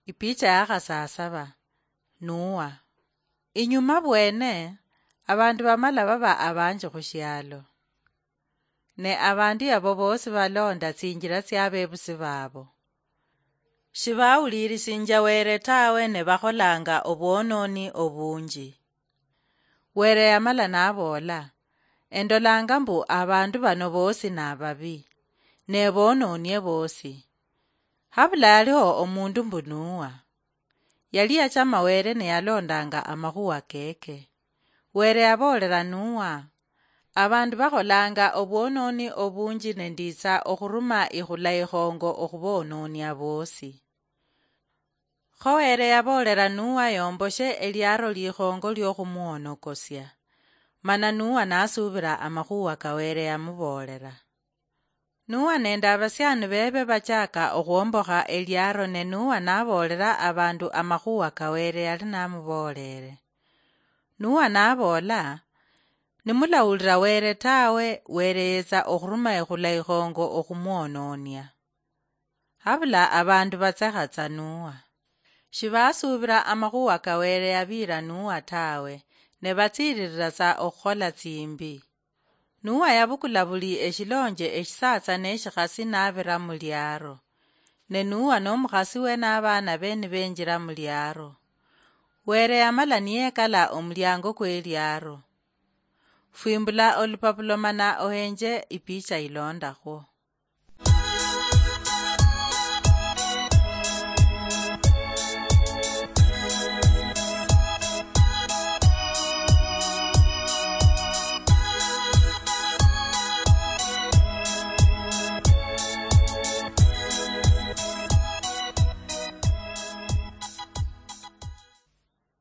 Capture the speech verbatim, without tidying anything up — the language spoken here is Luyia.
Ipicha ya khasasaba. Nuwa. Inyuma bwene, abandu bamala baba abanji khushialo. Ne abandu yabo bosi balonda tsinjila tsia bebusi babo. Shibawulirisinja Were tawe, ne bakholanga obwononi obunji. Were yamala naboola, "Endolanga mbu abandu bano bosi nababi, ne bononie bosi. Habula yaliho omundu mbu Nuwa. Yali yachama Were ne yalondanga amakhuwa keke." Were yaboolera Nuwa, "Abandu bakholanga obwononi obunji, ne nditsa okhuruma ikhula ikhongo okhubononia bosi." Kho Were yaboolera Nuwa yomboshe eliaro likhongo liokhumwonokosia. Mana Nuwa nasubira amakhuwa ka Were yamuboolera. Nuwa nende abasiani bebe bachaka okhwombokha eliaro, ne Nuwa naboolera abandu amakhuwa ka Were yali namuboolere. Nuwa naboola, "Nimulawulira Were tawe, Were yetsa okhuruma ikhula ikhongo okhumwononia." Habula abandu batsekha tsa Nuwa. Shibasuubira amakhuwa ka Were yabiira Nuwa tawe, ne batsiiririra tsa okhukhola tsimbi. Nuwa yabukula buli eshilonje eshisatsa neshikhasi nabira muliaro. Ne Nuwa nomukhasiwe nabaanabe nibenjira muliaro. Were yamala niyekala omuliango kweliaro. Fwimbula olupapulo mana ohenje ipicha ilondakhwo.